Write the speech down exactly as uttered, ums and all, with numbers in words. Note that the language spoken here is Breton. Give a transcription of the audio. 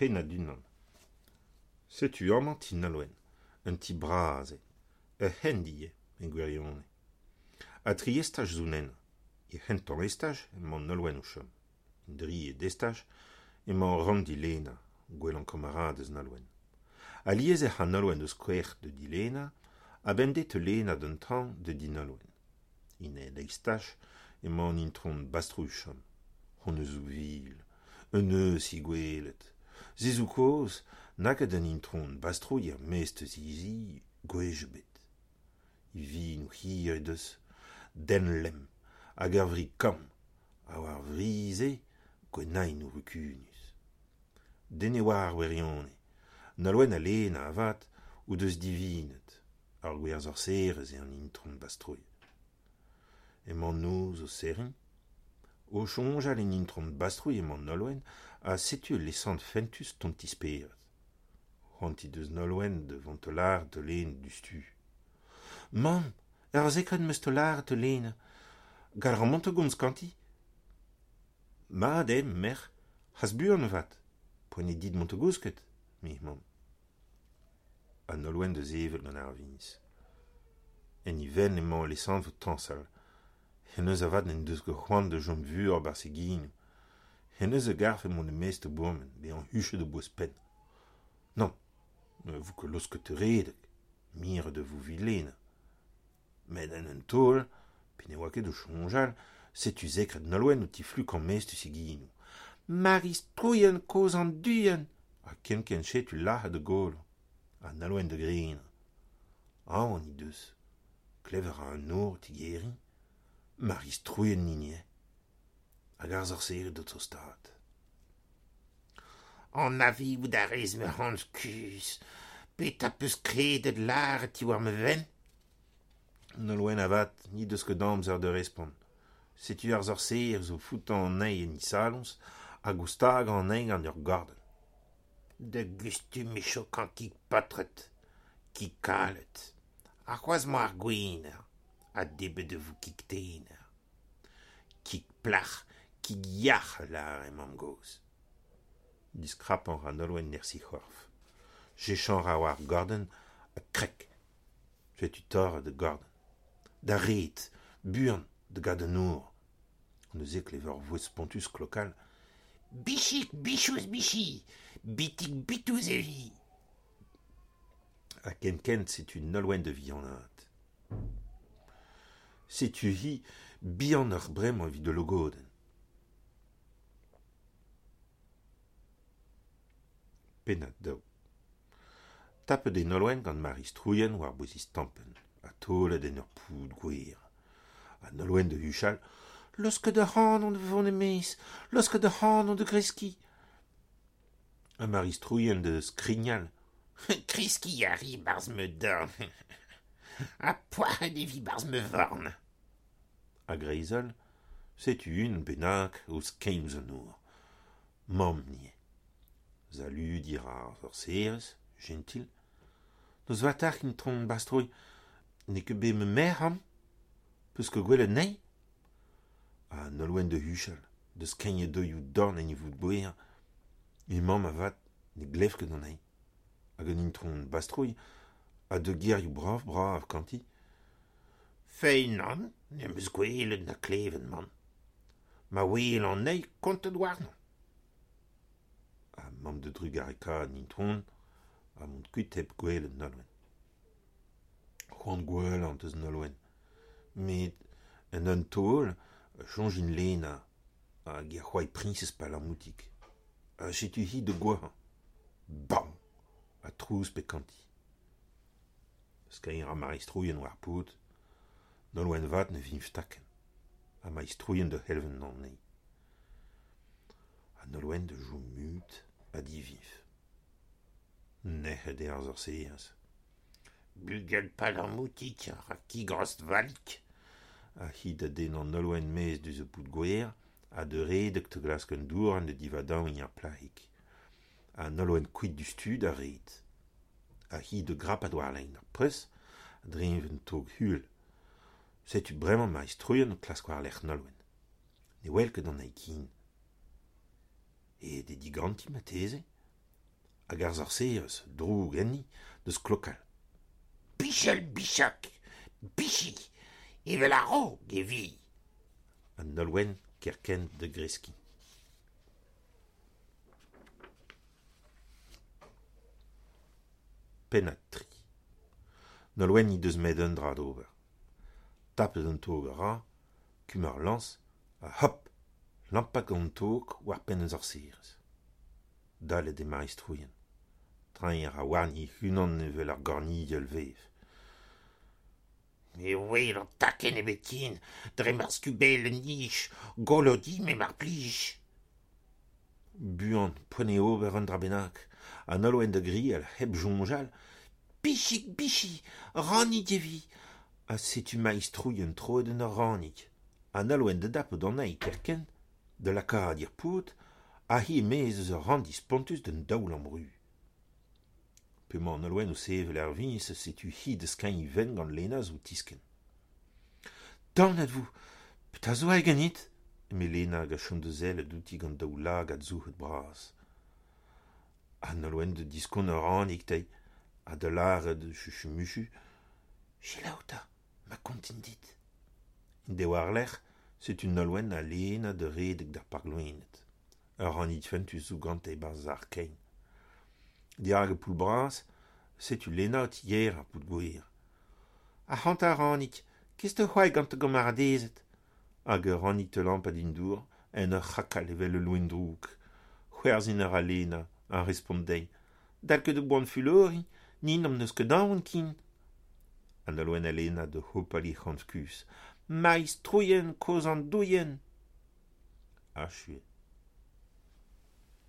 Pennad unan. Setu amañ ti Nolwenn, un ti bras eo, ur c'hendi eo, e gwirionez. Ha tri estaj zo ennañ. Er c'hentañ estaj emañ Nolwenn o chom. En drivet estaj emañ ranndi Lena, gwellañ kamaradez Nolwenn. Alies ec'h a Nolwenn eus krec'h da di Lena, ha bemdez e teu Lena d'an traoñ da di Nolwenn. En eil estaj emañ an itron Bastrouilh o chom. Honnezh zo vil, un euzh he gwelet. Se zo kaoz n'a ket an itron Bastrouilh er-maez eus he zi gwech ebet. He vinoù hir he deus, dent lemm, hag ur fri kamm, ha war ar fri-se gwennaennoù rukunus. Den ne oar ar wirionez. Nolwenn ha Lena avat o deus divinet. Ar gwir sorserez eo an itron Bastrouilh. Emañ an noz o serriñ. O soñjal en itron Bastrouilh emañ Nolwenn ha setu ul lesanv fentus tont d'he spered. C'hoant he deus Nolwenn da vont da lâret da Lena diouzhtu. Mamm, ur sekred 'm eus da lâret da Lena. Gall a ran mont da gomz ganti ? Mat eo, merc'h, hast buan avat. Poent eo dit mont da gousket, eme he mamm. Ha Nolwenn da sevel gant ar viñs. En he fenn emañ al lesanv o tañsal. Hennezh avat n'en deus ket c'hoant da chom fur e-barzh he genoù. Hennezh a garfe mont e-maez da bourmen, bezañ huchet a-bouez-penn. Nann, ne vo ket laosket da redek, miret e vo evit Lena. Met en un taol, pe ne oa ket o soñjal, setu sekred Nolwenn o tiflukañ maez eus he genoù. Mari-Strouilhenn kozh an duilhenn ! Ha kenkent setu lazhet ar golo. Ha Nolwenn da grenañ. Aon he deus. Klevet a ra an nor o tigeriñ. Mari-Strouilhenn hini eo. Hag ar sorserez o tostaat. Anavezout a rez ma anv kuzh. Petra 'peus kredet lâret diwar ma fenn ? Nolwenn avat n'he deus ket amzer da respont. Setu ar sorserez o foetañ anezhi en he saloñs hag o stagañ anezhi gant ur gordenn. Da gustum e chaokan kig paotred, kig kalet. Arc'hoazh emañ ar Gwener, ha debret e vo kig tener. Kig plac'h, kig yac'h a lâre mamm-gozh. Diskrapañ a ra Nolwenn nerzh he c'horf. Cheñch a ra war ar gordenn ha krek. Setu torret ar gordenn. D'ar red, buan, da gaout an nor. Neuze e klever ur vouezh spontus klokal. Bichig, bichouz, bichi, bitig, bitouz e vi. Ha kenkent setu Nolwenn da vihanaat. Setu-hi bihanoc'h bremañ evit ul logodenn. Pennad daou. Tapet eo Nolwenn gant Mari-Strouilhenn war-bouez he stampenn, ha taolet en ur pod gwer. Ha Nolwenn da huchal : Laosket ac'hanon da vont e-maez, laosket ac'hanon da greskiñ. Ha Mari-Strouilhenn da skrignal. Kreskiñ a ri e-barzh ma dorn. Ha poazhet e vi e-barzh ma forn. A-greiz-holl, setu unan bennak o skeiñ ouzh an nor. Mamm eo. Saludiñ a ra ar sorserez, jentil. Noz vat deoc'h, itron Bastrouilh. N'eo ket bet ma merc'h amañ ? 'Peus ket gwelet anezhi ? Ha Nolwenn da huchal, da skeiñ e daolioù dorn en e voud gwer. He mamm avat ne glev ket anezhi. Hag an itron Bastrouilh a deu gerioù brav-brav ganti. Feiz nann, ne'm eus gwelet na klevet mann. Ma welan anezhi, kontet warnon. Ha mamm da drugarekaat an itron ha mont kuit hep gwelet Nolwenn. C'hoant gouelañ deus Nolwenn. Met en un taol e soñj en Lena hag he c'hoar priñsez Palamoutig. Ha setu-hi da gouezhañ. Bam ! Ha trouz pep ganti. Skeiñ a ra Mari-Strouilhenn war ar pod. Nolwenn vat ne fiñv takenn. Ha Mari-Strouilhenn da c'helv anezhi. Ha Nolwenn da chom mut ha difiñv. Nec'het eo ar sorserez. Bugel Palamoutig a ra kig rost-valik. Ha hi da dennañ Nolwenn maez eus ar pod gwer ha da redek da glask un dourenn da divadaouiñ ar plac'hig. Ha Nolwenn kuit diouzhtu d'ar red. Ha hi da grapat war lein ar preuz a-dreñv un tog uhel. Setu bremañ Mari-Strouilhenn o klask war-lerc'h Nolwenn. Ne wel ket anezhi ken. Aet eo diganti marteze ? Hag ar sorserez, droug enni, deus klokal. Bichel bichak, bichi, evel a-raok e vi. Ha Nolwenn kerkent da greskiñ. Pennad tri. Nolwenn he deus met un dra d'ober. Tapet an tog a ra, kemer lañs, ha hop, lampat gant an tog war penn an sorserez. Dallet eo Mari-Strouilhenn. Treiñ a ra warni hec'h-unan evel ur gornigell vev. Ne welan takenn ebet ken dre ma skubellenn-nij, golo din-me mar plij. Buan, poent eo ober un dra bennak, ha Nolwenn da grial hep soñjal Bichig, bichi, ranig e vi. Ha setu Mari-Strouilhenn troet en ur ranig. Ha Nolwenn da dapout anezhi kerkent, da lakaat er pod, ha hi e-maez eus ar ranndi spontus d'an daoulamm ruz. P'emañ Nolwenn o sevel er viñs, setu hi da skeiñ he fenn gant Lena zo o tiskenn. Daonet vo, petra zo aet ganit ? Eme Lena hag a chom da sellet outi gant daoulagad souc'het bras. Ha Nolwenn da diskouez ar ranig dezhi, ha da lâret chuchumuchu Selaou 'ta, ma kontin dit. En deiz war-lerc'h, setu Nolwenn ha Lena da redek d'ar park-loened. Ur ranig fentus zo gante e-barzh ar sac'h-kein. Dirak ar poull bras, setu Lena o tigeriñ ar pod-gwer. Ac'hanta ranig, kez da c'hoari gant da gamaradezed. Hag ar ranig da lampat en dour, en ur c'hrakal evel ul loen drouk. C'hoarzhin a ra Lena, ha respont dezhi. Dal ket da boan fuloriñ, ni n'hon eus ket aon ken. Ha Nolwenn ha Lena da hopal he c'homz kuzh. Mari-Strouilhenn, kozh andouilhenn. Achu eo.